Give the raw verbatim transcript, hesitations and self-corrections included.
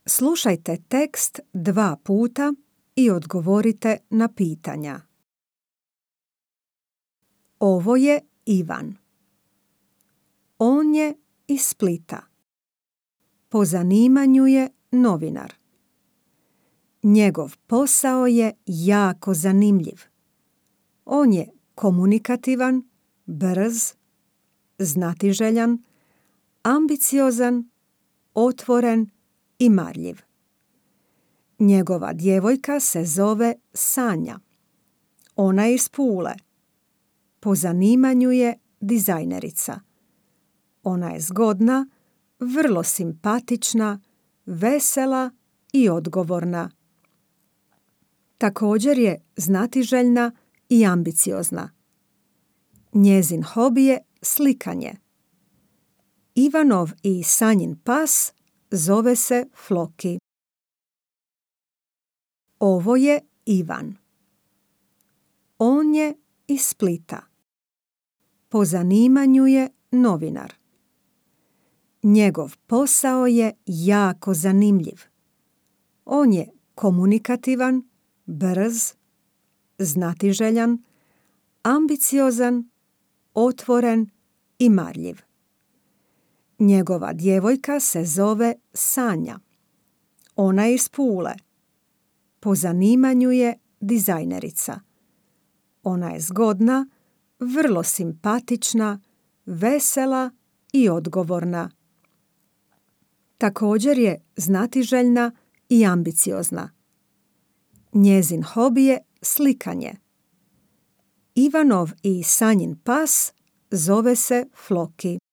Slušajte tekst dva puta i odgovorite na pitanja. Ovo je Ivan. On je iz Splita. Po zanimanju je novinar. Njegov posao je jako zanimljiv. On je komunikativan, brz, znatiželjan, ambiciozan, otvoren i marljiv. Njegova djevojka se zove Sanja. Ona je iz Pule. Po zanimanju je dizajnerica. Ona je zgodna, vrlo simpatična, vesela i odgovorna. Također je znatiželjna i ambiciozna. Njezin hobi je slikanje. Ivanov i Sanjin pas zove se Floki. Ovo je Ivan. On je iz Splita. Po zanimanju je novinar. Njegov posao je jako zanimljiv. On je komunikativan, brz, znatiželjan, ambiciozan, otvoren i marljiv. Njegova djevojka se zove Sanja. Ona je iz Pule. Po zanimanju je dizajnerica. Ona je zgodna, vrlo simpatična, vesela i odgovorna. Također je znatiželjna i ambiciozna. Njezin hobi je slikanje. Ivanov i Sanjin pas zove se Floki.